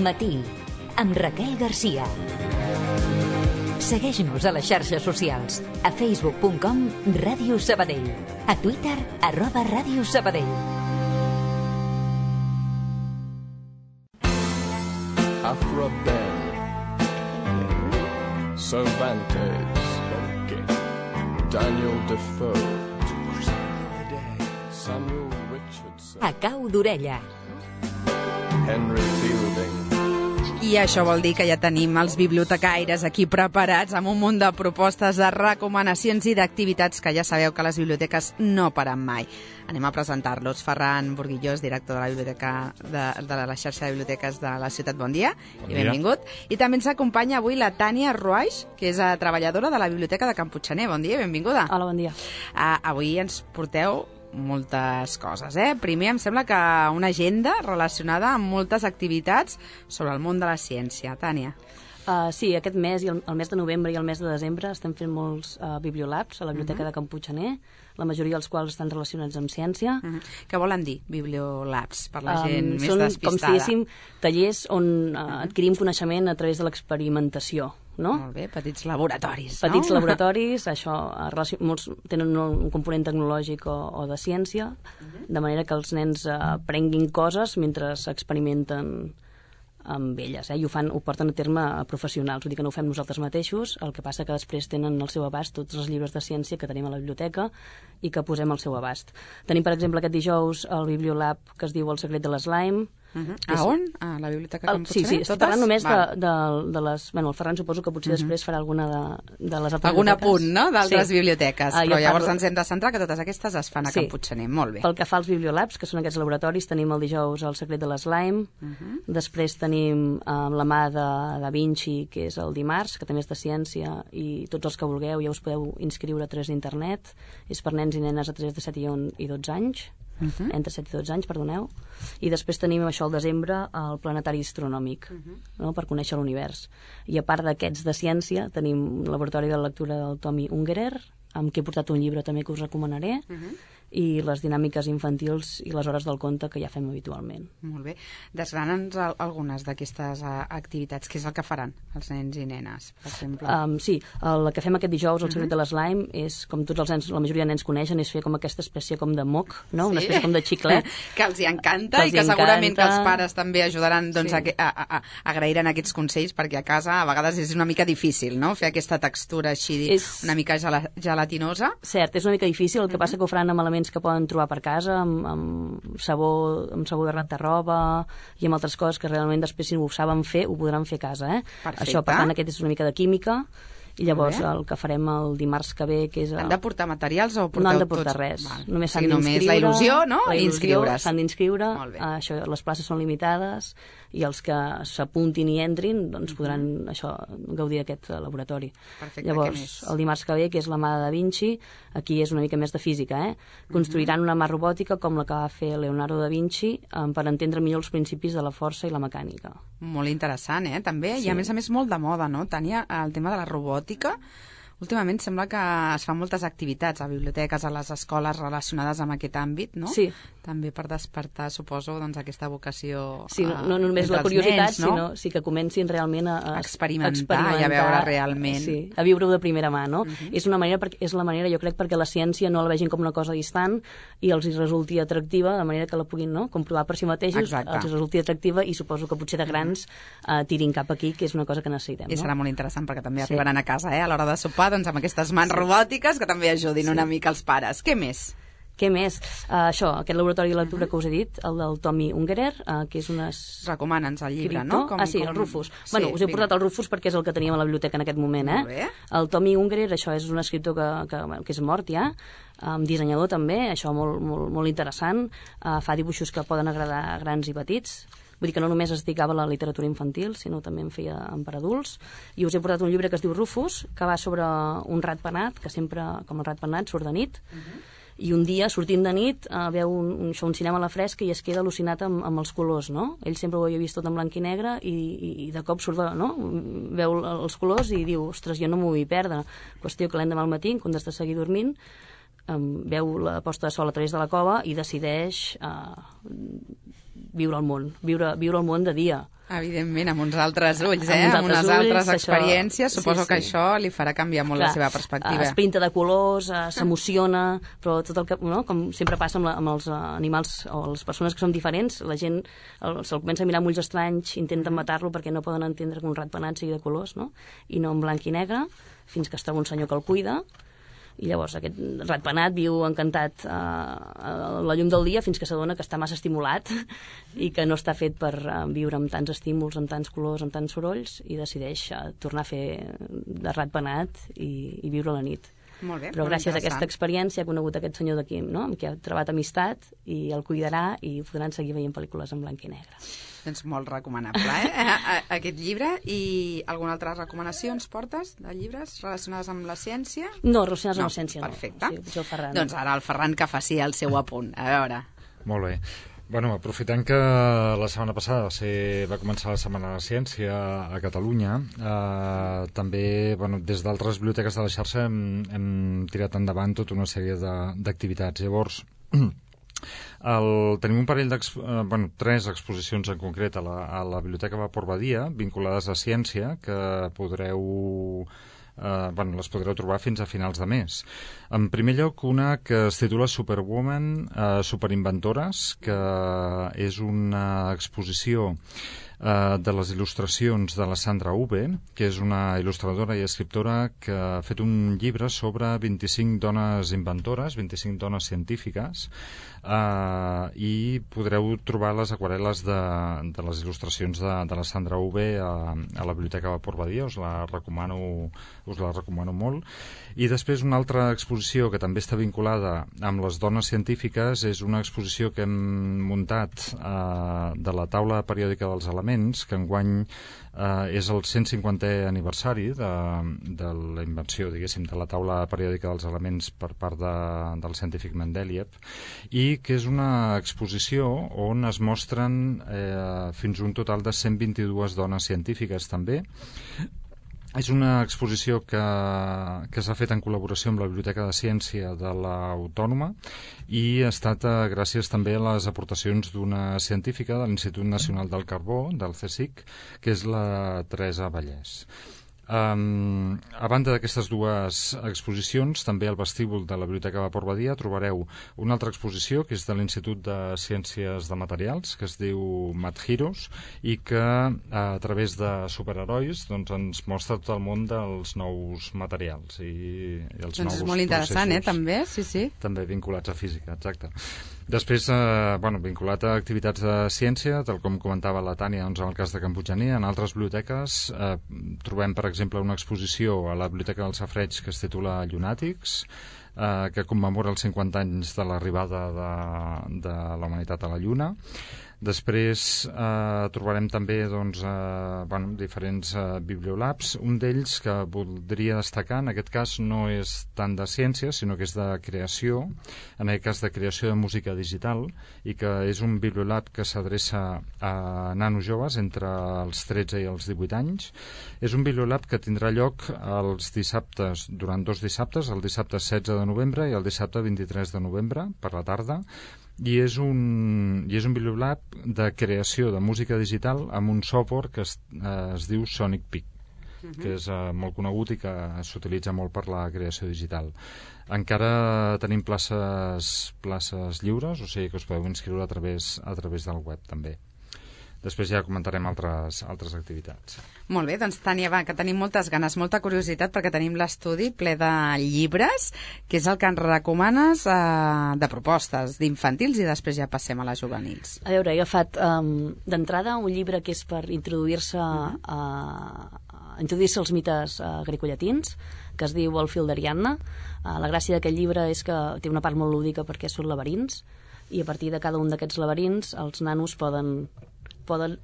Matí, amb Raquel Garcia. Segueix-nos a les xarxes socials, a facebook.com Ràdio Sabadell, a Twitter @Ràdio Sabadell. After a bell, Cervantes, Daniel Defoe, Samuel Richardson, A cau d'orella. Henry Fielding. I això vol dir que ja tenim els bibliotecaires aquí preparats amb un munt de propostes, de recomanacions i d'activitats que ja sabeu que les biblioteques no paren mai. Anem a presentar-los. Ferran Burguillós, director de la biblioteca de la xarxa de biblioteques de la ciutat. Bon dia i benvingut. I també ens acompanya avui la Tània Ruaix, que és treballadora de la biblioteca de Can Puiggener. Bon dia i benvinguda. Hola, bon dia. Avui ens porteu moltes coses, Primer em sembla que una agenda relacionada amb moltes activitats sobre el món de la ciència. Tània. Sí, aquest mes, i el mes de novembre i el mes de desembre, estem fent molts bibliolabs a la biblioteca de Can Puiggener, la majoria dels quals estan relacionats amb ciència. Què volen dir, bibliolabs, per la gent més són, despistada? com si diguéssim, tallers on adquirim coneixement a través de l'experimentació. No? Molt bé, petits laboratoris. Petits laboratoris, això, molts tenen un component tecnològic o de ciència, de manera que els nens aprenguin coses mentre experimenten amb elles, i ho porten a terme a professionals, vull dir que no ho fem nosaltres mateixos, el que passa que després tenen al seu abast tots els llibres de ciència que tenim a la biblioteca i que posem al seu abast. Tenim, per exemple, aquest dijous el Bibliolab que es diu El secret de l'slime. A on? A la biblioteca Can Puiggener? Sí, estic parlant només de les... Bueno, el Ferran suposo que potser després farà alguna de les altres algun biblioteques. Apunt, no?, d'altres biblioteques. Però llavors ens hem de centrar que totes aquestes es fan a Can Puiggener. Molt bé. Pel que fa als bibliolabs, que són aquests laboratoris, tenim el dijous El secret de l'slime, després tenim la mà de Da Vinci, que és el dimarts, que també és de ciència, i tots els que vulgueu ja us podeu inscriure a través d'internet. És per nens i nenes a través de 7 i 12 anys. Entre 7 i 12 anys, perdoneu. I després tenim això al desembre el planetari astronòmic, no? Per conèixer l'univers. I a part d'aquests de ciència tenim un laboratori de lectura del Tommy Ungerer, amb qui he portat un llibre també que us recomanaré, i les dinàmiques infantils i les hores del conte que ja fem habitualment. Molt bé. Desgrana'ns algunes d'aquestes activitats. Què és el que faran els nens i nenes, per exemple? Sí, el que fem aquest dijous, el secret de l'slime, és, com tots els nens, la majoria de nens coneixen, és fer com aquesta espècie com de moc, no? Una espècie com de xiclet. Que els hi encanta i que segurament que els pares també ajudaran a agrairan aquests consells, perquè a casa a vegades és una mica difícil, no?, fer aquesta textura així una mica gelatinosa. Cert, és una mica difícil, el que passa que ho faran amb elements que poden trobar per casa, amb sabó de rentar-roba i amb altres coses que realment després, si ho saben fer, ho podran fer a casa. Això, per tant, aquest és una mica de química. I llavors el que farem el dimarts que ve, que és... Han de portar materials o porteu tots? No han de portar res. Només s'han d'inscriure. Només la il·lusió, no? I inscriure's. S'han d'inscriure. Les places són limitades i els que s'apuntin i entrin doncs podran gaudir d'aquest laboratori. Perfecte. Llavors, el dimarts que ve, que és la mà de Da Vinci, aquí és una mica més de física, Construiran una mà robòtica com la que va fer Leonardo da Vinci per entendre millor els principis de la força i la mecànica. Molt interessant, també. I a més molt de moda, no, Tània, el tema de la robòtica. Últimament sembla que es fan moltes activitats a biblioteques, a les escoles relacionades amb aquest àmbit, no? Sí. També per despertar, suposo, aquesta vocació sí, no només la curiositat, nens, no? Sinó que comencin realment a experimentar i a veure realment. Sí, a viure-ho de primera mà, no? És la manera, jo crec, perquè la ciència no la vegin com una cosa distant i els resulti atractiva, de manera que la puguin comprovar per si mateixos, els resulti atractiva i suposo que potser de grans tirin cap aquí, que és una cosa que necessitem. I serà molt interessant perquè també arribaran a casa, a l'hora de sopar, doncs amb aquestes mans robòtiques que també ajudin una mica els pares. Què més? Què més? Aquest laboratori de lectura que us he dit, el del Tommy Ungerer, que és unes... Recomana'ns el llibre, no? Sí, el Rufus. Bueno, us he portat el Rufus perquè és el que teníem a la biblioteca en aquest moment, Molt bé. El Tommy Ungerer, això és un escriptor que és mort ja, dissenyador també, això molt interessant, fa dibuixos que poden agradar a grans i petits. Vull dir que no només es dedicava a la literatura infantil, sinó també en feia per adults. I us he portat un llibre que es diu Rufus, que va sobre un ratpenat, que sempre, com el ratpenat, surt de nit. I un dia, sortint de nit, veu un cinema a la fresca i es queda al·lucinat amb els colors, no? Ell sempre ho havia vist tot en blanc i negre i de cop surt, veu els colors i diu, ostres, jo no m'ho vull perdre. Qüestió que l'endemà al matí, en comptes de seguir dormint, veu la posta de sol a través de la cova i decideix viure el món de dia. Evidentment, amb uns altres ulls, Amb uns amb unes altres ulls, altres això- experiències. Suposo sí, que sí. això li farà canviar molt la seva perspectiva. Es pinta de colors, s'emociona, però tot el que, no? Com sempre passa amb els animals o les persones que som diferents, la gent se'l comença a mirar amb ulls estranys, intenten matar-lo perquè no poden entendre que un ratpenat sigui de colors, no? I no en blanc i negre, fins que es troba un senyor que el cuida, i llavors aquest ratpenat viu encantat a la llum del dia fins que s'adona que està massa estimulat i que no està fet per viure amb tants estímuls, amb tants colors, amb tants sorolls, i decideix tornar a fer de ratpenat i viure la nit. Molt bé, Però molt gràcies a aquesta interessant. experiència ha conegut aquest senyor d'aquí, no? Amb qui ha trobat amistat, i el cuidarà i podran seguir veient pel·lícules en blanc i negre. Doncs molt recomanable, aquest llibre. I alguna altra recomanació ens portes de llibres relacionades amb la ciència? No, relacionats amb la ciència no. Perfecte. Sí, potser el Ferran. Doncs ara el Ferran que faci el seu apunt. A veure. Molt bé. Bueno, aprofitant que la setmana passada va començar la Setmana de la Ciència a Catalunya, també des d'altres biblioteques de la xarxa hem tirat endavant tota una sèrie d'activitats. Llavors, tenim un parell tres exposicions en concret a la Biblioteca Vapor Badia vinculades a ciència que les podreu trobar fins a finals de mes. En primer lloc, una que es titula Superwoman, Superinventores, que és una exposició de les il·lustracions de la Sandra Uve, que és una il·lustradora i escriptora que ha fet un llibre sobre 25 dones inventores, 25 dones científiques, i podreu trobar les aquarel·les de les il·lustracions de la Sandra Uve a la Biblioteca Vapor Badia. Us la recomano molt. I després una altra exposició que també està vinculada amb les dones científiques és una exposició que hem muntat de la taula periòdica dels elements, que enguany és el 150è aniversari de la invenció, diguéssim, de la taula periòdica dels elements per part del científic Mendeleev, i que és una exposició on es mostren fins un total de 122 dones científiques també. És una exposició que s'ha fet en col·laboració amb la Biblioteca de Ciència de l'Autònoma i ha estat gràcies també a les aportacions d'una científica de l'Institut Nacional del Carbó, del CSIC, que és la Teresa Vallès. A banda d'aquestes dues exposicions, també al vestíbul de la Biblioteca Vapor Badia trobareu una altra exposició que és de l'Institut de Ciències de Materials, que es diu Mat Heroes, i que a través de superherois ens mostra tot el món dels nous materials i els nous Doncs és molt interessant, processos. també, sí. També vinculats a física, exacte. Després, vinculat a activitats de ciència, tal com comentava la Tània, en el cas de Can Puiggener, en altres biblioteques trobem, per exemple, una exposició a la Biblioteca del Safareig que es titula Llunàtics, que commemora els 50 anys de l'arribada de la humanitat a la Lluna. Després trobarem també diferents bibliolabs. Un d'ells que voldria destacar, en aquest cas no és tant de ciència, sinó que és de creació, en aquest cas de creació de música digital, i que és un bibliolab que s'adreça a nanos joves entre els 13 i els 18 anys. És un bibliolab que tindrà lloc els dissabtes, durant 2 dissabtes, el dissabte 16 de novembre i el dissabte 23 de novembre, per la tarda, i és un bibliolab de creació de música digital amb un software que es diu Sonic Peak, que és molt conegut i que s'utilitza molt per la creació digital. Encara tenim places lliures, o sigui que us podeu inscriure a través del web també. Després ja comentarem altres activitats. Molt bé, doncs Tània, va, que tenim moltes ganes, molta curiositat, perquè tenim l'estudi ple de llibres, que és el que ens recomanes de propostes d'infantils, i després ja passem a les juvenils. A veure, he agafat d'entrada un llibre que és per introduir-se als mites grecollatins, que es diu El fil d'Ariadna. La gràcia d'aquest llibre és que té una part molt lúdica perquè són laberints, i a partir de cada un d'aquests laberints els nanos poden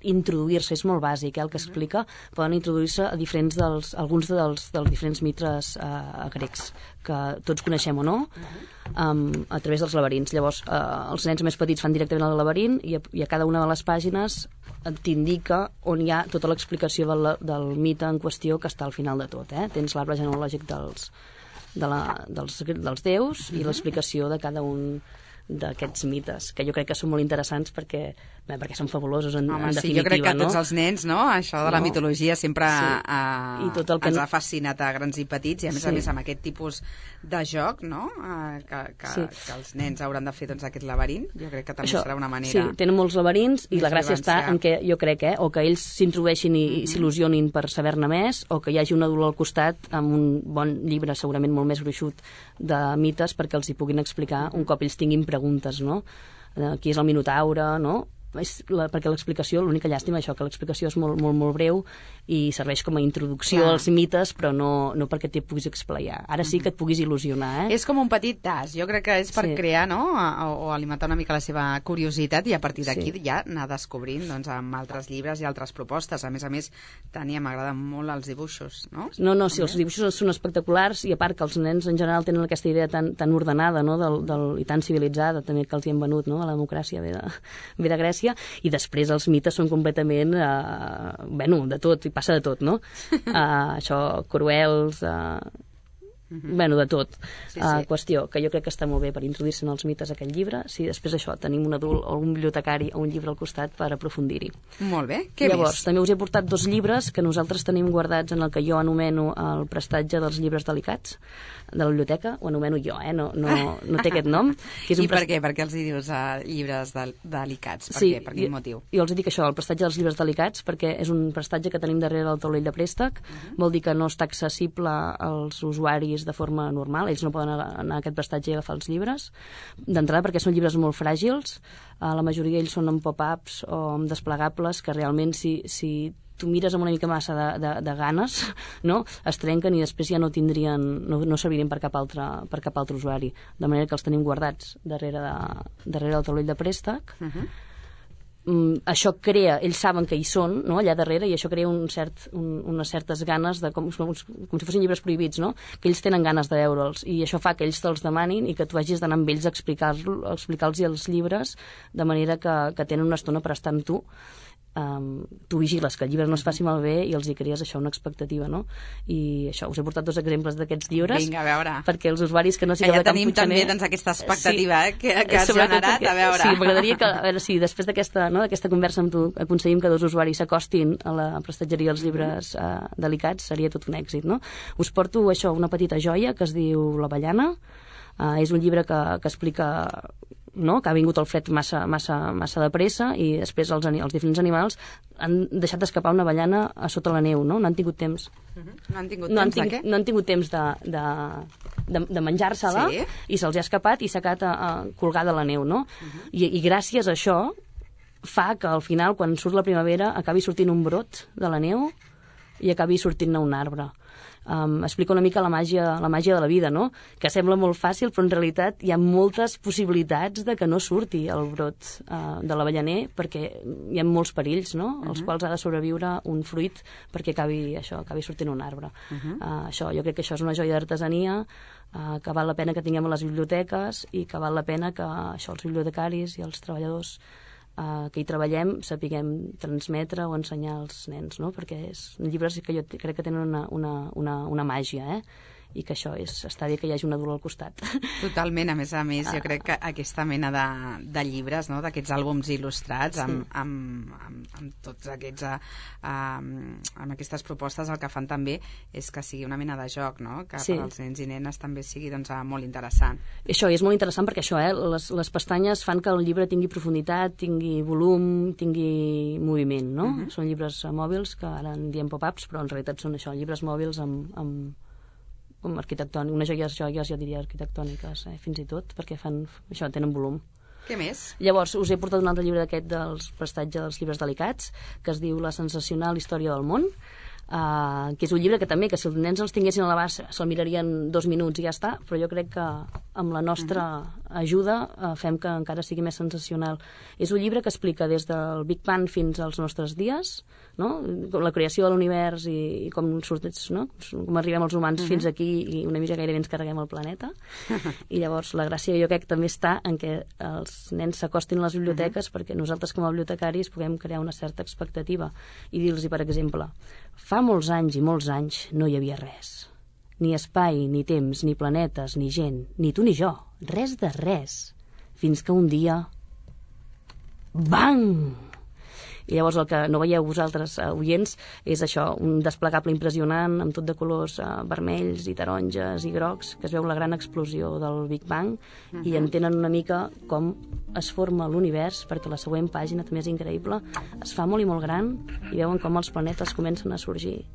introduir-se, és molt bàsic el que explica, poden introduir-se a alguns dels diferents mites grecs, que tots coneixem o no, a través dels laberints. Llavors, els nens més petits fan directament al laberint, i a cada una de les pàgines t'indica on hi ha tota l'explicació del mite en qüestió, que està al final de tot. Tens l'arbre genealògic dels déus i l'explicació de cada un d'aquests mites, que jo crec que són molt interessants perquè són fabulosos en definitiva. Jo crec que a tots els nens, no? Això de la mitologia sempre I tot el que ens ha fascinat a grans i petits, i a més amb aquest tipus de joc, no? Que els nens hauran de fer aquest laberint, jo crec que també serà una manera... Sí, tenen molts laberints i la gràcia està en què jo crec, o que ells s'introdueixin i s'il·lusionin per saber-ne més, o que hi hagi un adult al costat amb un bon llibre segurament molt més gruixut de mites perquè els hi puguin explicar un cop ells tinguin preguntes, no? Qui és el Minotaure, no? Perquè l'explicació, l'única llàstima això, que l'explicació és molt, molt, molt breu i serveix com a introducció als mites, però no perquè t'hi puguis explayar. Ara sí que et puguis il·lusionar, És com un petit tas, jo crec que és per crear, no?, o alimentar una mica la seva curiositat, i a partir d'aquí ja anar descobrint amb altres llibres i altres propostes. A més, Tània, m'agraden molt els dibuixos, no? No, sí, els dibuixos són espectaculars, i a part que els nens en general tenen aquesta idea tan ordenada, no?, i tan civilitzada també que els hi han venut, no?, la democràcia ve de Grècia, i després els mites són completament de tot, i passa de tot, no? Això, cruels, de tot. Qüestió que jo crec que està molt bé per introduir-se en els mites aquest llibre, si després això tenim un adult o un bibliotecari o un llibre al costat per aprofundir-hi. Molt bé, què Llavors, també us he portat 2 llibres que nosaltres tenim guardats en el que jo anomeno el prestatge dels llibres delicats de la biblioteca, ho anomeno jo, no té aquest nom. Que és I per què? Per què els dius llibres delicats? Per quin motiu? Jo els dic això, el prestatge dels llibres delicats, perquè és un prestatge que tenim darrere del taulell de préstec, vol dir que no està accessible als usuaris de forma normal, ells no poden anar a aquest prestatge i agafar els llibres, d'entrada perquè són llibres molt fràgils, la majoria d'ells són amb pop-ups o amb desplegables, que realment si tu mires amb una mica massa de ganes, no? Es trenquen i després ja no servirien per cap altre usuari, de manera que els tenim guardats darrere del taulell de préstec. Això crea, ells saben que hi són, no?, allà darrere, i això crea unes certes ganes com si fossin llibres prohibits, no?, que ells tenen ganes de veure'ls, i això fa que ells te'ls demanin i que tu hagis d'anar amb ells a explicar-los els llibres, de manera que tenen una estona per estar amb tu. Tu vigiles que el llibre no es faci malbé i els hi crees això, una expectativa, no? I això, us he portat 2 exemples d'aquests llibres. Vinga, a veure. Perquè els usuaris que no sigueu de tenim també aquesta expectativa que has generat, a veure. Sí, m'agradaria que, a veure si després d'aquesta conversa amb tu aconseguim que 2 usuaris s'acostin a la prestatgeria dels llibres delicats, seria tot un èxit, no? Us porto això, una petita joia que es diu L'Avellana. És un llibre que explica, no?, que ha vingut el fred massa de pressa, i després els diferents animals han deixat d'escapar una avellana a sota la neu, no? No han tingut temps. No han tingut temps de menjar-se-la, i se'ls ha escapat i s'ha quedat colgada a la neu, no? I gràcies a això fa que al final, quan surt la primavera, acabi sortint un brot de la neu i acabi sortint-ne un arbre. Explica una mica la màgia de la vida, no?, que sembla molt fàcil, però en realitat hi ha moltes possibilitats de que no surti el brot de l'avellaner, perquè hi ha molts perills, no?, als quals ha de sobreviure un fruit perquè acabi sortint un arbre. Jo crec que això és una joia d'artesania que val la pena que tinguem a les biblioteques, i que val la pena que els bibliotecaris i els treballadors que hi treballem sapiguem transmetre o ensenyar als nens, no? Perquè són llibres que jo crec que tenen una màgia, i que això està bé que hi hagi un adult al costat. Totalment, a més, jo crec que aquesta mena de llibres, no?, d'aquests àlbums il·lustrats amb tots aquests amb aquestes propostes, el que fan també és que sigui una mena de joc, no?, que per als nens i nenes també sigui molt interessant. Això és molt interessant perquè això, les pestanyes fan que el llibre tingui profunditat, tingui volum, tingui moviment, no? Són llibres mòbils, que ara en diem pop-ups, però en realitat són això, llibres mòbils amb arquitectònic, unes joies jo diria arquitectòniques, fins i tot, perquè tenen volum. Què més? Llavors, us he portat un altre llibre d'aquest dels prestatges dels llibres delicats, que es diu La sensacional història del món, que és un llibre que també, que si els nens els tinguessin a l'abast se'l mirarien 2 minuts i ja està, però jo crec que amb la nostra ajuda fem que encara sigui més sensacional. És un llibre que explica des del Big Bang fins als nostres dies, no?, la creació de l'univers i com arribem els humans fins aquí, i una mica gairebé ens carreguem el planeta. I llavors la gràcia jo crec que també està en què els nens s'acostin a les biblioteques, perquè nosaltres com a bibliotecaris puguem crear una certa expectativa i dir-los, per exemple, fa molts anys i molts anys no hi havia res. Ni espai, ni temps, ni planetes, ni gent, ni tu ni jo. Res de res. fins que un dia... Bang! I llavors el que no veieu vosaltres, oients, és això, un desplegable impressionant amb tot de colors vermells i taronges i grocs, que es veu la gran explosió del Big Bang, i entenen una mica com es forma l'univers, perquè la següent pàgina també és increïble, es fa molt i molt gran i veuen com els planetes comencen a sorgir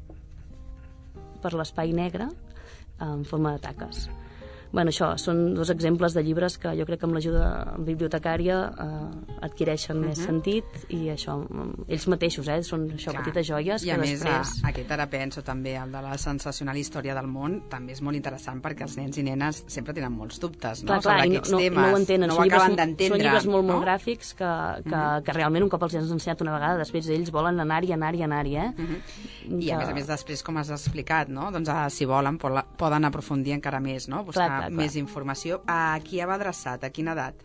per l'espai negre en forma de taques. Bueno, això, són dos exemples de llibres que jo crec que amb l'ajuda bibliotecària adquireixen més sentit, i això, ells mateixos, són això, petites joies i que a més, després... aquest ara penso també, el de la sensacional història del món, també és molt interessant perquè els nens i nenes sempre tenen molts dubtes, no? Clar, sobre aquests temes, no ho entenen, no ho acaben d'entendre. Són llibres molt, no? molt gràfics que realment un cop els has ensenyat una vegada, després ells volen anar-hi, I a més, després, com has explicat, no? Doncs si volen poden aprofundir encara més, no? Buscar més informació. A qui va adreçat? A quina edat?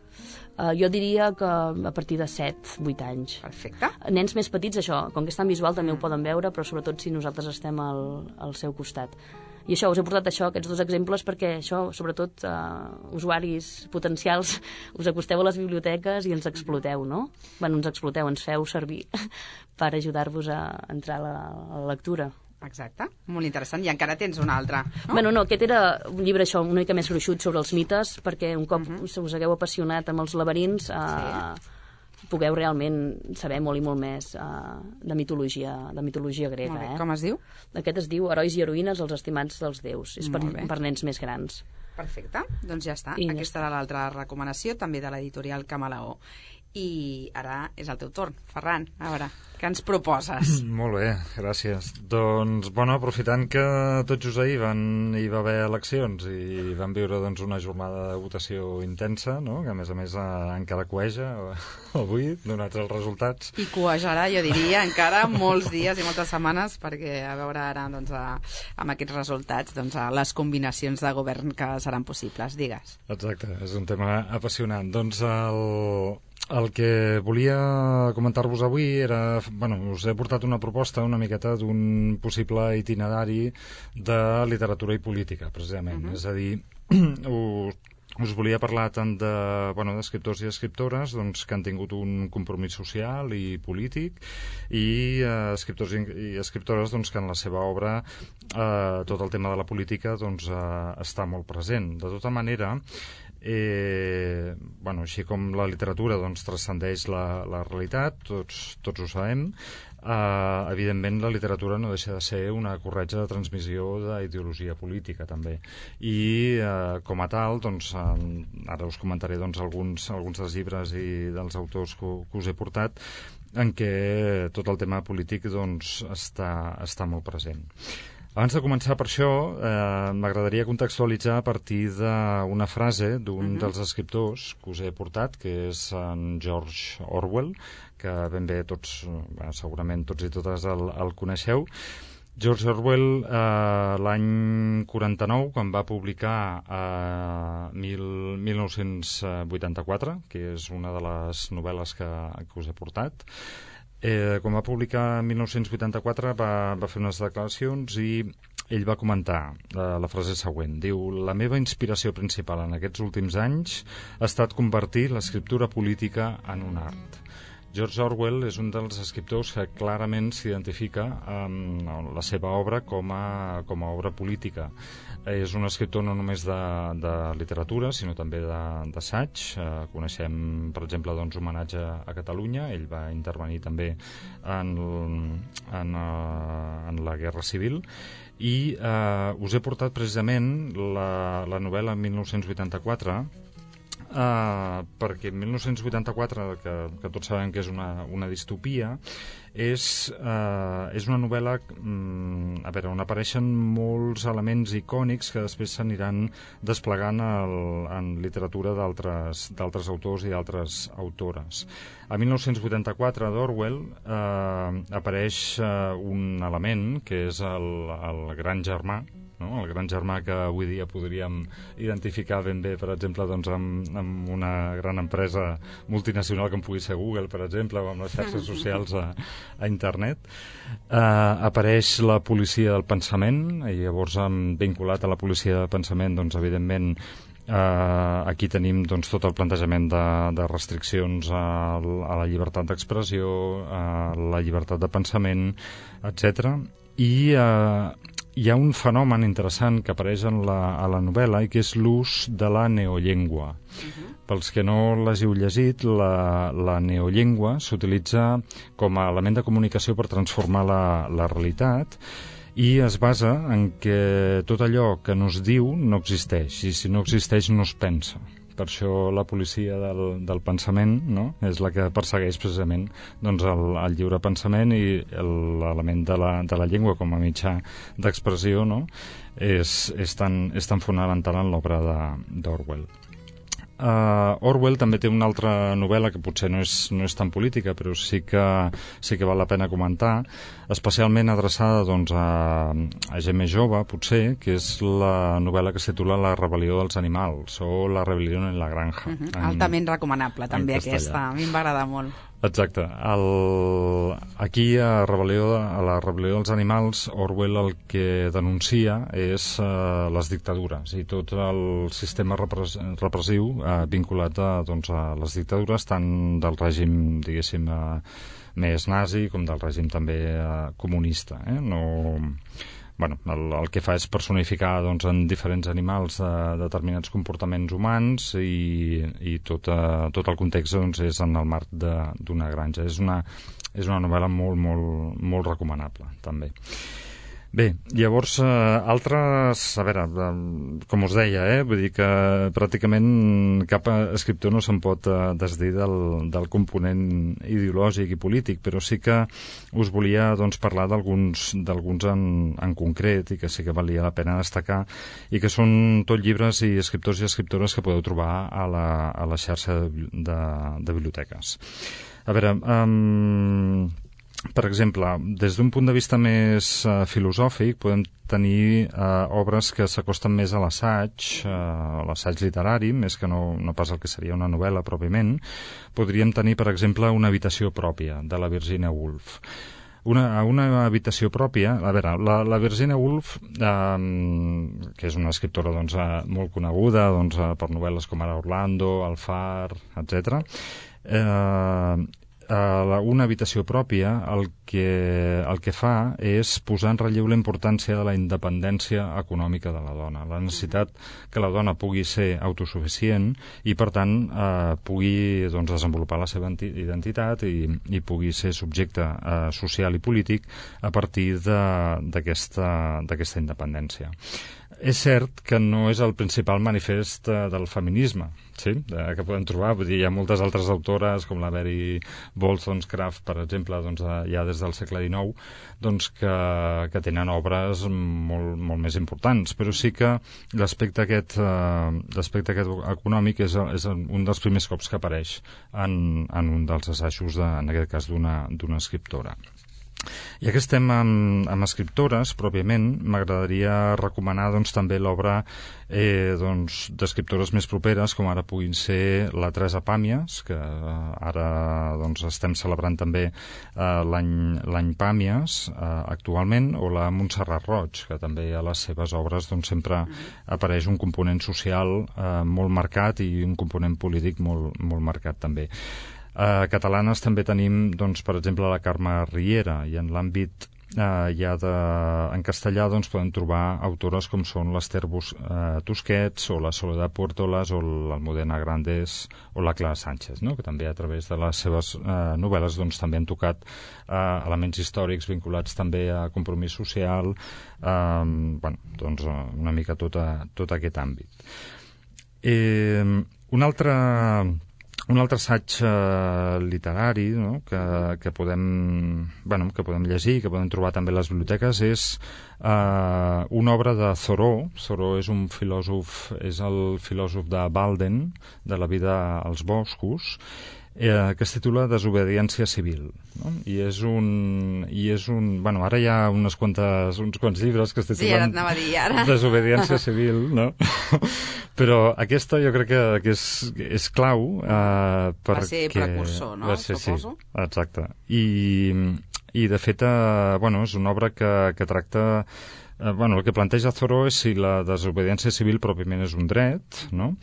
Jo diria que a partir de 7-8 anys. Perfecte. Nens més petits, això, com que és tan visual també ho poden veure, però sobretot si nosaltres estem al seu costat. I això, us he portat aquests dos exemples perquè això, sobretot, usuaris potencials, us acosteu a les biblioteques i ens exploteu, no? Bueno, ens exploteu, ens feu servir per ajudar-vos a entrar a la lectura. Exacte, molt interessant. I encara tens un altre, no? Bueno, no, aquest era un llibre això una mica més gruixut sobre els mites, perquè un cop us hagueu apassionat amb els laberints, pugueu realment saber molt i molt més de mitologia grega. Molt bé. Com es diu? Aquest es diu Herois i heroïnes, els estimats dels déus. És per nens més grans. Perfecte, doncs ja està. Aquesta era l'altra recomanació, també de l'editorial Camaleó. I ara és el teu torn. Ferran, a veure, què ens proposes? Molt bé, gràcies. Doncs, bueno, aprofitant que tot just ahir hi va haver eleccions i vam viure doncs, una jornada de votació intensa, no? Que a més encara cueja avui, donats els resultats. I cuejarà, jo diria, encara molts dies i moltes setmanes, perquè a veure ara doncs, amb aquests resultats doncs, les combinacions de govern que seran possibles. Digues. Exacte, és un tema apassionant. Doncs el que volia comentar-vos avui era... Bueno, us he portat una proposta una miqueta d'un possible itinerari de literatura i política, precisament. És a dir, us volia parlar tant d'escriptors i escriptores doncs, que han tingut un compromís social i polític, i escriptors i escriptores doncs, que en la seva obra tot el tema de la política doncs, està molt present. De tota manera, així com la literatura doncs, transcendeix la realitat, tots ho sabem, evidentment la literatura no deixa de ser una corretja de transmissió d'ideologia política també, i com a tal doncs, ara us comentaré doncs, alguns dels llibres i dels autors que us he portat en què tot el tema polític doncs, està molt present. Abans de començar per això, m'agradaria contextualitzar a partir d'una frase d'un dels escriptors que us he portat, que és en George Orwell, que ben bé segurament tots i totes el coneixeu. George Orwell, l'any 49, quan va publicar 1984, que és una de les novel·les que us he portat, quan va publicar en 1984 va fer unes declaracions i ell va comentar la frase següent. Diu: la meva inspiració principal en aquests últims anys ha estat convertir l'escriptura política en un art. George Orwell és un dels escriptors que clarament s'identifica amb la seva obra com a obra política. És un escriptor no només de literatura, sinó també d'assaig. Coneixem, per exemple, doncs, Homenatge a Catalunya. Ell va intervenir també en la Guerra Civil. I us he portat precisament la novel·la 1984, perquè en 1984, que tots sabem que és una distopia, és una novel·la on apareixen molts elements icònics que després s'aniran desplegant en literatura d'altres autors i d'altres autores. A 1984 d'Orwell apareix un element que és el gran germà, no? El gran germà que avui dia podríem identificar ben bé, per exemple, doncs, amb una gran empresa multinacional com pugui ser Google, per exemple, o amb les xarxes socials a internet. Apareix la policia del pensament, i llavors vinculat a la policia del pensament, doncs, evidentment, Aquí tenim doncs, tot el plantejament de restriccions a la llibertat d'expressió, a la llibertat de pensament, etc. I hi ha un fenomen interessant que apareix a la novel·la i que és l'ús de la neollengua. Pels que no l'hàgiu llegit, la neollengua s'utilitza com a element de comunicació per transformar la realitat i es basa en que tot allò que no es diu no existeix, i si no existeix no es pensa. Per això la policia del pensament, no?, és la que persegueix precisament doncs, el lliure pensament, i l'element de la llengua com a mitjà d'expressió, no?, és tan fonamental en l'obra d'Orwell. Orwell també té una altra novel·la que potser no és tan política, però sí que val la pena comentar, especialment adreçada doncs, a gent més jove, potser, que és la novel·la que es titula La rebel·lió dels animals, o La rebel·lió en la granja. Altament recomanable, també, aquesta. A mi em va agradar molt. Exacte. Aquí, a la rebel·lió dels animals, Orwell el que denuncia és les dictadures i tot el sistema repressiu vinculat a les dictadures, tant del règim, diguéssim, més nazi com del règim també comunista. El que fa és personificar en diferents animals determinats comportaments humans i tot el context és en el marc d'una granja. És una novel·la molt, molt, molt recomanable, també. Bé, llavors, altres... A veure, com us deia, vull dir que pràcticament cap escriptor no se'n pot desdir del component ideològic i polític, però sí que us volia parlar d'alguns en concret i que sí que valia la pena destacar i que són tot llibres i escriptors i escriptores que podeu trobar a la xarxa de biblioteques. A veure... Per exemple, des d'un punt de vista més filosòfic, podem tenir obres que s'acosten més a l'assaig literari, més que no pas el que seria una novel·la pròpiament. Podríem tenir, per exemple, Una habitació pròpia, de la Virginia Woolf. Una habitació pròpia... A veure, la Virginia Woolf, que és una escriptora molt coneguda per novel·les com ara Orlando, El far, etc., una habitació pròpia el que fa és posar en relleu la importància de la independència econòmica de la dona, la necessitat que la dona pugui ser autosuficient i, per tant, pugui desenvolupar la seva identitat i pugui ser subjecte social i polític a partir d'aquesta independència. És cert que no és el principal manifest del feminisme, sí? Que podem trobar. Vull dir, hi ha moltes altres autores, com la Mary Wollstonecraft, per exemple, ja des del segle XIX, que tenen obres molt, molt més importants. Però sí que l'aspecte aquest econòmic és un dels primers cops que apareix en un dels assajos, en aquest cas, d'una escriptora. Ja que estem amb escriptores, pròpiament, m'agradaria recomanar també l'obra d'escriptores més properes, com ara puguin ser la Teresa Pàmies, que ara estem celebrant també l'any Pàmies actualment, o la Montserrat Roig, que també a les seves obres sempre apareix un component social molt marcat i un component polític molt, molt marcat també. Catalanes també tenim, per exemple, la Carme Riera, i en l'àmbit en castellà podem trobar autores com són l'Ester Tusquets o la Soledad Puertolas o l'Almudena Grandes o la Clara Sánchez, que també a través de les seves novel·les també han tocat elements històrics vinculats també a compromís social, una mica tot aquest àmbit. Un altre assaig literari que podem llegir, que podem trobar també a les biblioteques, és una obra de Thoreau. Thoreau és el filòsof de Walden, de La vida als boscos, que es titula Desobediència civil, i és un ara hi ha uns quants llibres que es titulen Desobediència civil, però aquesta jo crec que és clau va ser precursor, no? Suposo. Sí, exacte, i de fet és una obra que tracta el que planteja Thoreau és si la desobediència civil pròpiament és un dret, no?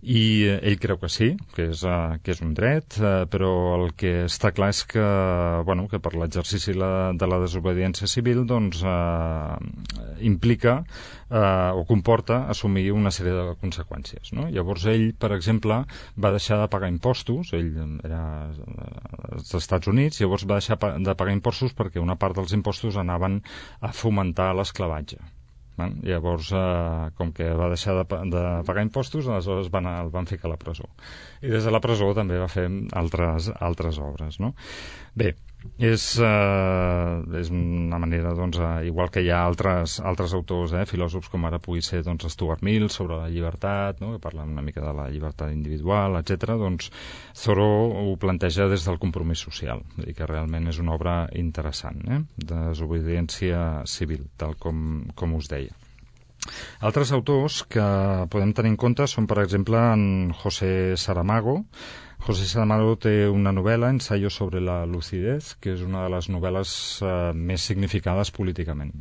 I ell creu que sí, que és un dret, però el que està clar és que, que per l'exercici de la desobediència civil doncs, implica o comporta assumir una sèrie de conseqüències, no? Llavors ell, per exemple, va deixar de pagar impostos, ell era als Estats Units, llavors va deixar de pagar impostos perquè una part dels impostos anaven a fomentar l'esclavatge. Llavors, com que va deixar de pagar impostos, aleshores el van ficar a la presó. I des de la presó també va fer altres obres, no? Bé, és una manera, doncs, igual que hi ha altres autors, filòsofs, com ara pugui ser Stuart Mill, sobre la llibertat, no? Que parla una mica de la llibertat individual, etc. Doncs Thoreau ho planteja des del compromís social, i que realment és una obra interessant, de desobediència civil, tal com us deia. Altres autors que podem tenir en compte són, per exemple, en José Saramago. José Saramago té una novel·la, Ensayo sobre la lucidez, que és una de les novel·les més significades políticament.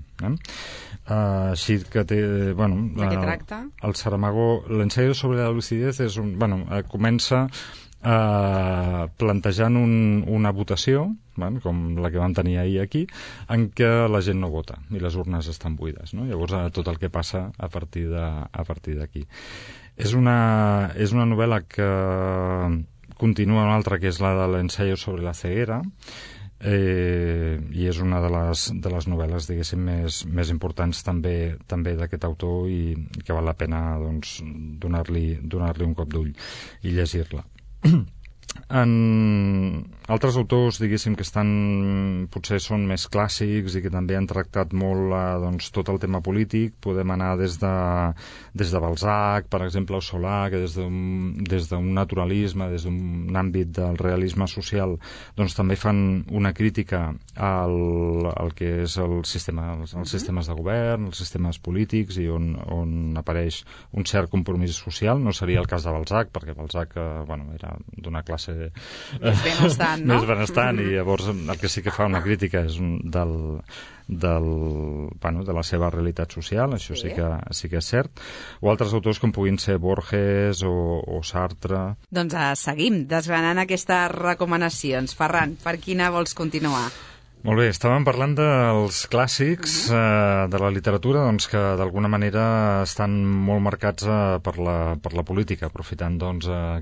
Així que té... De què tracta? El Saramago, l'Ensayo sobre la lucidez és comença plantejant una votació, com la que vam tenir ahir aquí, en què la gent no vota i les urnes estan buides, no? Llavors tot el que passa a partir d'aquí. És una novel·la que continua una altra, que és la de l'Ensayo sobre la ceguera, i és una de les novel·les, diguéssim, més importants també d'aquest autor, i que val la pena, doncs, donar-li un cop d'ull i llegir-la. En altres autors, diguéssim, que potser són més clàssics i que també han tractat molt tot el tema polític, podem anar des de Balzac, per exemple, o Solà, que des d'un naturalisme, des d'un àmbit del realisme social, doncs també fan una crítica al que és els sistemes de govern, els sistemes polítics, i on apareix un cert compromís social. No seria el cas de Balzac, perquè Balzac era d'una classe més benestant, no? Més benestant, i llavors el que sí que fa una crítica és de la seva realitat social, això sí que és cert. O altres autors com puguin ser Borges o Sartre. Doncs seguim desgranant aquestes recomanacions. Ferran, per quina vols continuar? Molt bé, estàvem parlant dels clàssics de la literatura, doncs, que d'alguna manera estan molt marcats per la política, aprofitant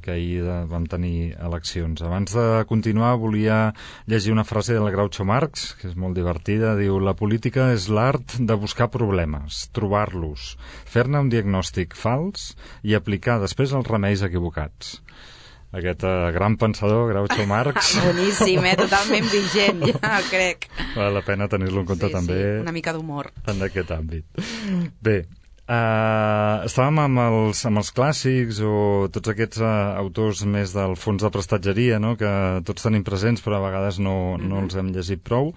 que ahir vam tenir eleccions. Abans de continuar, volia llegir una frase del Groucho Marx, que és molt divertida. Diu: la política és l'art de buscar problemes, trobar-los, fer-ne un diagnòstic fals i aplicar després els remeis equivocats. Aquest gran pensador, Groucho Marx. Boníssim, totalment vigent, ja crec. Val la pena tenir-lo en compte també. Sí, una mica d'humor. En aquest àmbit. Bé, estàvem amb els clàssics, o tots aquests autors més del fons de prestatgeria, no? Que tots tenim presents, però a vegades no els hem llegit prou.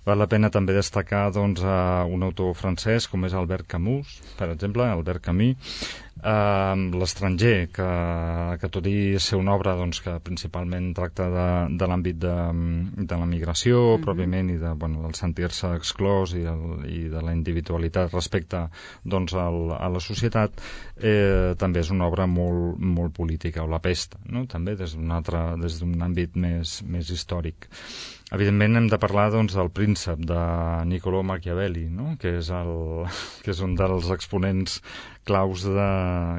Val la pena també destacar un autor francès com és Albert Camus, per exemple, Albert Camus. L'estranger, que tot i ser una obra que principalment tracta de l'àmbit de la migració pròpiament, i del sentir-se exclòs i de la individualitat respecte a la societat, també és una obra molt, molt política. O La pesta, no? També des d'un àmbit més històric. Evidentment hem de parlar del Príncep, de Niccolò Machiavelli, no? que és un dels exponents claus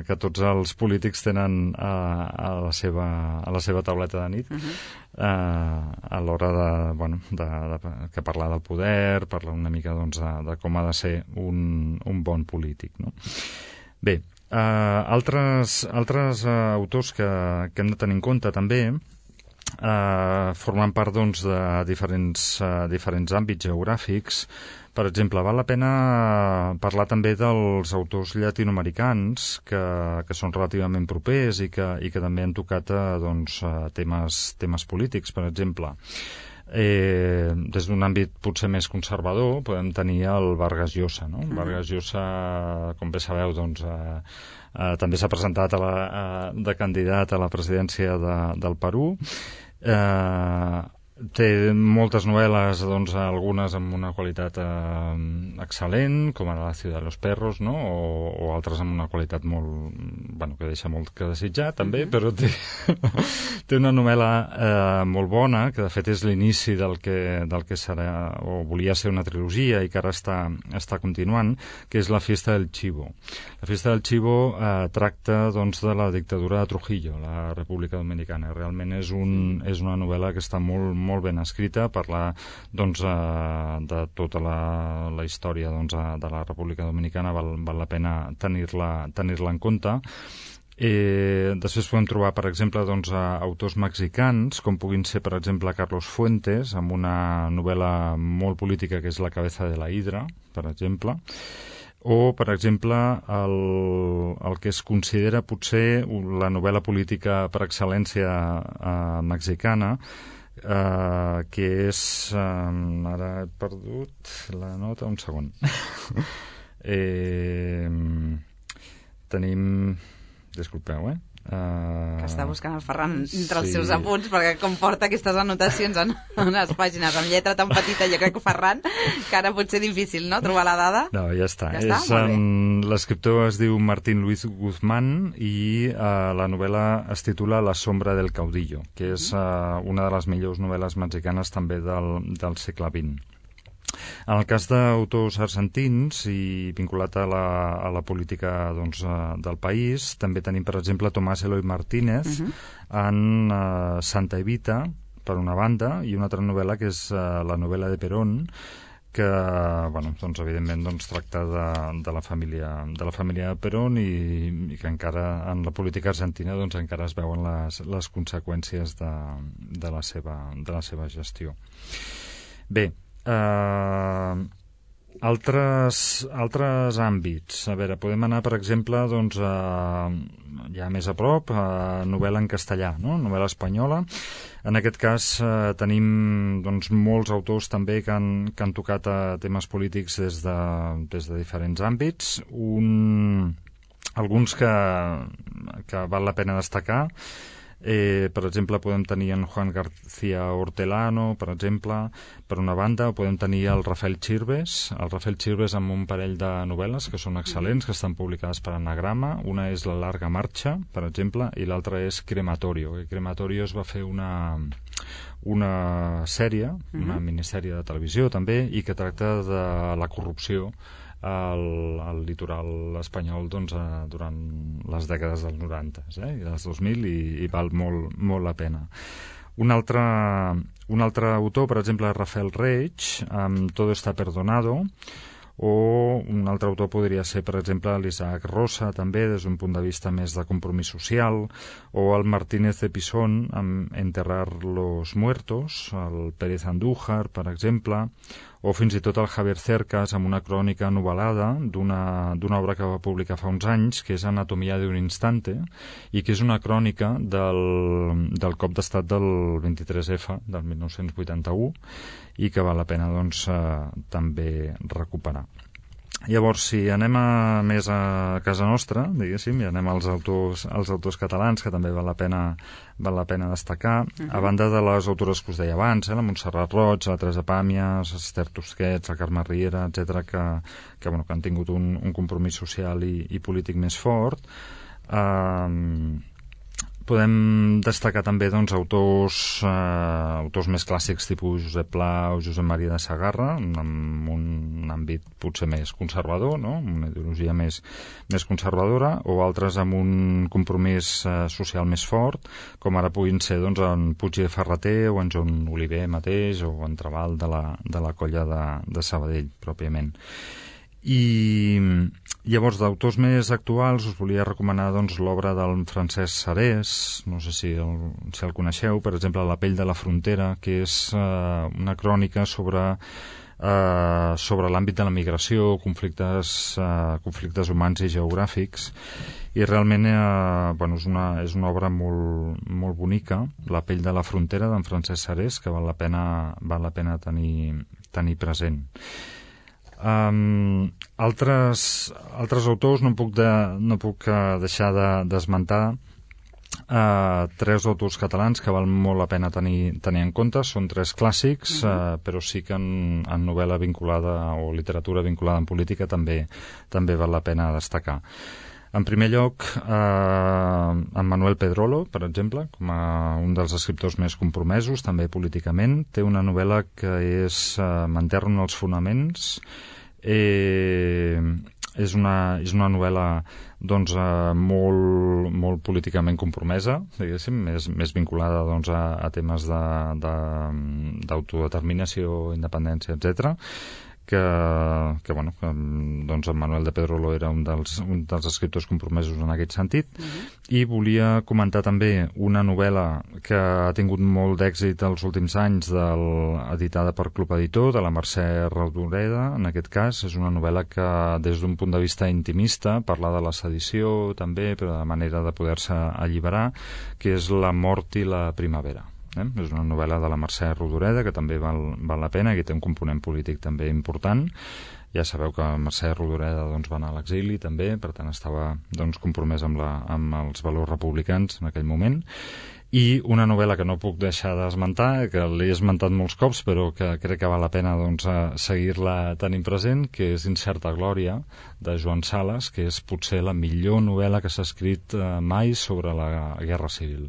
que tots els polítics tenen a la seva tauleta de nit, a l'hora que parlar del poder, parlar una mica de com ha de ser un bon polític, no? Bé, altres autors que hem de tenir en compte també, formant part de diferents àmbits geogràfics. Per exemple, val la pena parlar també dels autors llatinoamericans que són relativament propers i que també han tocat temes polítics. Per exemple, des d'un àmbit potser més conservador podem tenir el Vargas Llosa, no? Vargas Llosa, com bé sabeu, també s'ha presentat de candidat a la presidència del Perú. Té moltes novel·les, doncs, algunes amb una qualitat excel·lent, com ara La ciudad de los perros, no? o altres amb una qualitat molt... Bueno, que deixa molt que desitjar, també, però té una novel·la molt bona, que de fet és l'inici del que serà, o volia ser una trilogia i que ara està continuant, que és La fiesta del chivo. La fiesta del chivo tracta, doncs, de la dictadura de Trujillo, la República Dominicana. Realment és una novel·la que està molt ben escrita, parla, doncs, de tota la història, doncs, de la República Dominicana. Val la pena tenir-la en compte. Després podem trobar, per exemple, doncs, autors mexicans, com puguin ser, per exemple, Carlos Fuentes, amb una novel·la molt política que és La cabeza de la hidra, per exemple, o, per exemple, el que es considera potser la novel·la política per excel·lència mexicana, que és... ara he perdut la nota, un segon. Tenim... Disculpeu, que està buscant el Ferran entre els seus apunts, perquè com porta aquestes anotacions en unes pàgines amb lletra tan petita, jo crec que Ferran, que ara pot ser difícil, no?, trobar la dada. No, ja està. L'escriptor es diu Martín Luis Guzmán i la novel·la es titula La sombra del caudillo, que és una de les millors novel·les mexicanes també del segle XX. En el cas d'autors argentins i vinculat a la política, doncs, del país, també tenim, per exemple, Tomás Eloy Martínez en Santa Evita, per una banda, i una altra novel·la que és la novel·la de Perón, que, bueno, doncs, evidentment, doncs, tracta de la família Perón i que encara en la política argentina, doncs, encara es veuen les conseqüències de la seva gestió. Bé, altres àmbits. A veure, podem anar, per exemple, doncs, ja més a prop, novel·la en castellà, no? Novel·la espanyola. En aquest cas tenim, doncs, molts autors també que han tocat temes polítics des de diferents àmbits. Alguns que val la pena destacar. Per exemple, podem tenir en Juan García Hortelano, per exemple, per una banda, o podem tenir el Rafael Chirves amb un parell de novel·les que són excel·lents, que estan publicades per Anagrama. Una és La larga marcha, per exemple, i l'altra és Crematorio. Crematorio es va fer una sèrie, una minissèrie de televisió també, i que tracta de la corrupció al litoral espanyol, doncs, durant les dècades dels 90 i dels 2000, i val molt la pena. Un altre autor, per exemple, Rafael Reig, amb Todo está perdonado, o un altre autor podria ser, per exemple, l'Isaac Rosa, també, des d'un punt de vista més de compromís social, o el Martínez de Pisón, amb Enterrar los muertos, el Pérez Andújar, per exemple, o fins i tot el Javier Cercas amb una crònica novel·lada d'una obra que va publicar fa uns anys, que és Anatomía de un instante, i que és una crònica del cop d'estat del 23F, del 1981, i que val la pena, doncs, també recuperar. Llavors, si anem més a casa nostra, diguéssim, i anem als autors catalans, que també val la pena destacar, a banda de les autores que us deia abans, la Montserrat Roig, la Teresa Pàmies, Esther Tusquets, la Carme Riera, etc., que han tingut un compromís social i polític més fort. Podem destacar també, doncs, autors més clàssics tipus Josep Pla o Josep Maria de Sagarra, amb un àmbit potser més conservador, no? Una ideologia més conservadora, o altres amb un compromís social més fort, com ara puguin ser, doncs, en Puig de Ferrater o en Joan Oliver mateix, o en Trabal de la colla de Sabadell, pròpiament. I llavors, d'autors més actuals, us volia recomanar, doncs, l'obra del Francesc Sarés, no sé si el coneixeu, per exemple, La pell de la frontera, que és una crònica sobre l'àmbit de la migració, conflictes humans i geogràfics, i realment és una obra molt bonica, La pell de la frontera, d'en Francesc Sarés, que val la pena tenir present. Altres autors no puc deixar d'esmentar tres autors catalans que val molt la pena tenir en compte. Són tres clàssics, però sí que en novel·la vinculada o literatura vinculada en política també val la pena destacar. En primer lloc, en Manuel Pedrolo, per exemple, com a un dels escriptors més compromesos, també políticament, té una novel·la que és M'enterro en els fonaments. És una novel·la doncs, molt políticament compromesa, diguéssim, més vinculada doncs, a temes d'autodeterminació, independència, etc. Que doncs en Manuel de Pedrolo era un dels escriptors compromesos en aquest sentit. I volia comentar també una novel·la que ha tingut molt d'èxit els últims anys, editada per Club Editor, de la Mercè Rodoreda. En aquest cas és una novel·la que des d'un punt de vista intimista parla de la sedició també, però de manera de poder-se alliberar, que és La mort i la primavera. És una novel·la de la Mercè Rodoreda que també val la pena, que té un component polític també important. Ja sabeu que Mercè Rodoreda doncs, va anar a l'exili també, per tant estava doncs, compromès amb els valors republicans en aquell moment. I una novel·la que no puc deixar d'esmentar, que l'he esmentat molts cops, però que crec que val la pena doncs, seguir-la tenint present, que és Incerta glòria, de Joan Sales, que és potser la millor novel·la que s'ha escrit mai sobre la Guerra Civil.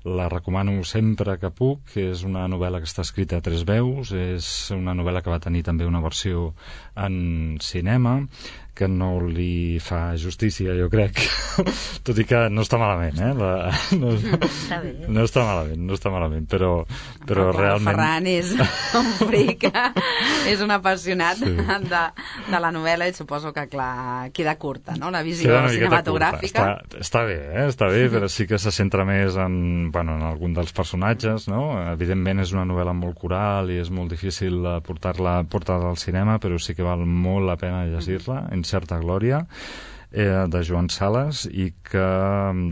La recomano sempre que puc. És una novel·la que està escrita a 3 veus, és una novel·la que va tenir també una versió en cinema, que no li fa justícia, jo crec, tot i que no està malament, Està bé. No està malament, però realment... Ferran és un fric, és un apassionat de la novel·la i suposo que, clar, queda curta, no?, la visió cinematogràfica. Està bé, però sí que se centra més en algun dels personatges, no? Evidentment és una novel·la molt coral i és molt difícil portar-la al cinema, però sí que val molt la pena llegir-la, Incerta glòria, de Joan Sales, i que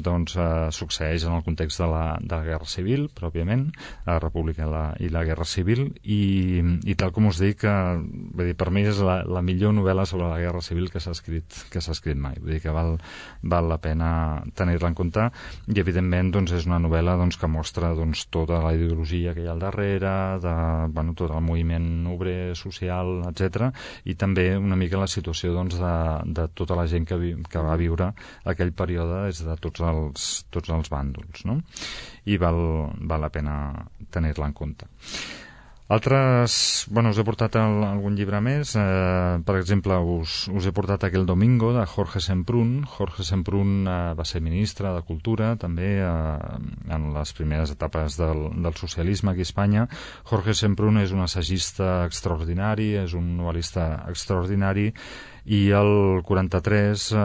doncs, succeeix en el context de la Guerra Civil, pròpiament, la República i la Guerra Civil, i tal com us dic, per mi és la millor novel·la sobre la Guerra Civil que s'ha escrit mai. Vull dir que val la pena tenir-la en compte, i evidentment doncs, és una novel·la doncs, que mostra doncs, tota la ideologia que hi ha al darrere, tot el moviment obrer, social, etc., i també una mica la situació doncs, de tota la gent que va viure aquell període des de tots els bàndols, no? I val la pena tenir-la en compte. Altres, us he portat algun llibre més, per exemple us he portat Aquel domingo, de Jorge Semprún. Jorge Semprún va ser ministre de Cultura també en les primeres etapes del socialisme aquí a Espanya. Jorge Semprún és un assagista extraordinari, és un novel·lista extraordinari, i el 43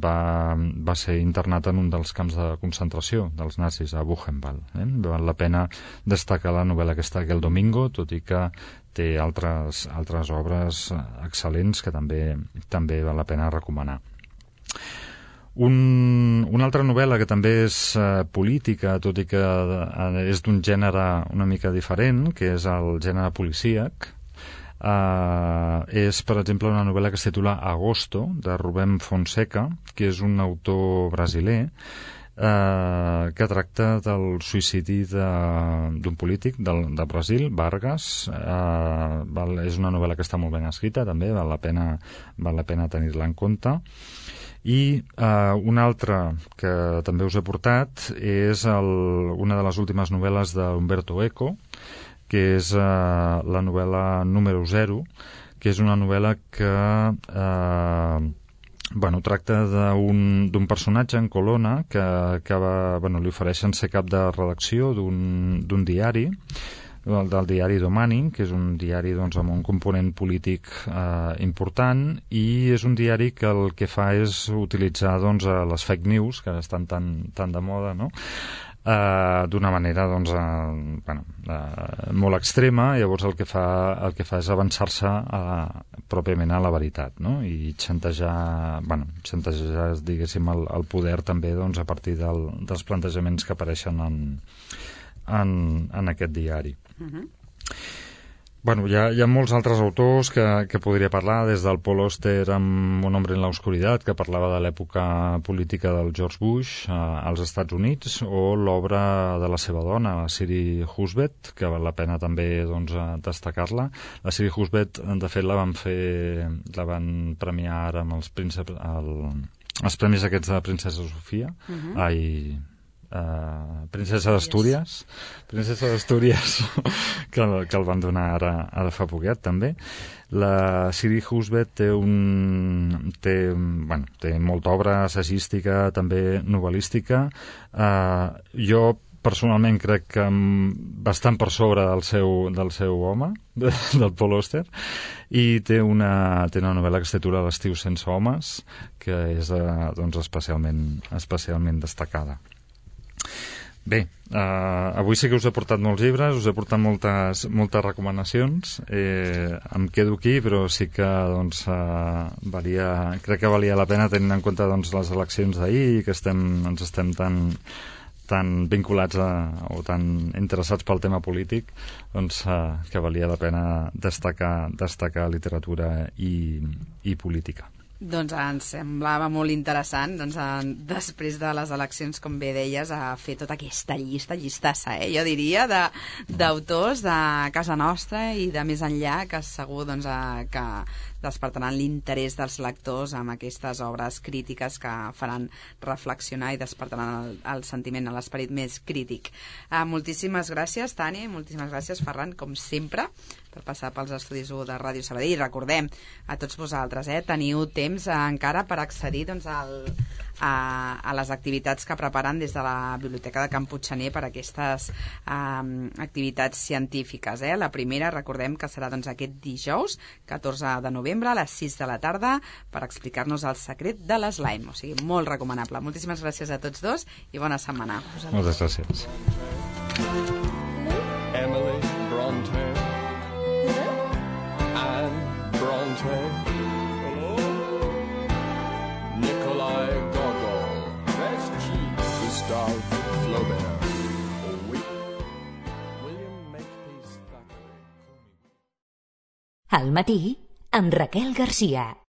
va ser internat en un dels camps de concentració dels nazis, a Buchenwald. Val la pena destacar la novel·la aquesta, Aquel domingo, tot i que té altres obres excel·lents que també val la pena recomanar. Una altra novel·la que també és política, tot i que és d'un gènere una mica diferent, que és el gènere policíac, és, per exemple, una novel·la que es titula Agosto, de Rubén Fonseca, que és un autor brasiler que tracta del suïcidi d'un polític de Brasil, Vargas. És una novel·la que està molt ben escrita, també val la pena tenir-la en compte. I una altra que també us he portat és una de les últimes novel·les d'Umberto Eco, que és la novel·la número 0, que és una novel·la que tracta d'un personatge en Colonna que li ofereixen ser cap de redacció d'un diari, del diari Domani, que és un diari doncs, amb un component polític important, i és un diari que el que fa és utilitzar doncs, les fake news, que estan tan de moda, no?, d'una manera doncs, molt extrema. Llavors el que fa és avançar-se pròpiament a la veritat, no? I xantejar diguéssim el poder també doncs, a partir dels plantejaments que apareixen en aquest diari. Bueno, hi ha molts altres autors que podria parlar, des del Paul Auster amb Un hombre en la oscuridad, que parlava de l'època política del George Bush als Estats Units, o l'obra de la seva dona, la Siri Husband, que val la pena també doncs, destacar-la. La Siri Husband, de fet, la van premiar ara amb els premis aquests de Princesa Sofia. Princesa d'Astúries que el van donar ara fa poquet també. La Siri Husband té molta obra assagística, també novel·lística. Jo personalment crec que bastant per sobre del seu home, del Paul Auster, i té una novel·la que es titula L'estiu sense homes, que és doncs, especialment destacada. Bé, avui sí que us he portat molts llibres, us he portat moltes recomanacions. Em quedo aquí, però sí que doncs, crec que valia la pena tenint en compte doncs, les eleccions d'ahir i que ens estem tan vinculats o tan interessats pel tema polític, doncs, que valia la pena destacar literatura i política. Doncs ens semblava molt interessant, doncs, després de les eleccions, com bé deies, a fer tota aquesta llistassa, jo diria, d'autors de casa nostra i de més enllà, que segur doncs, que despertaran l'interès dels lectors amb aquestes obres crítiques que faran reflexionar i despertaran el sentiment, l'esperit més crític. Moltíssimes gràcies, Tani, moltíssimes gràcies, Ferran, com sempre, per passar pels estudis 1 de Ràdio Sabadell. I recordem a tots vosaltres, teniu temps encara per accedir doncs, a les activitats que preparen des de la Biblioteca de Can Puiggener per aquestes activitats científiques. La primera, recordem que serà doncs, aquest dijous, 14 de novembre, a les 6 de la tarda, per explicar-nos el secret de l'slime. O sigui, molt recomanable. Moltíssimes gràcies a tots dos i bona setmana. Moltes gràcies. Emily Bronte, Anne Bronte, Nikolai Gogol, Gustave Flaubert, William Makepeace Thackeray. Al matí, amb Raquel Garcia.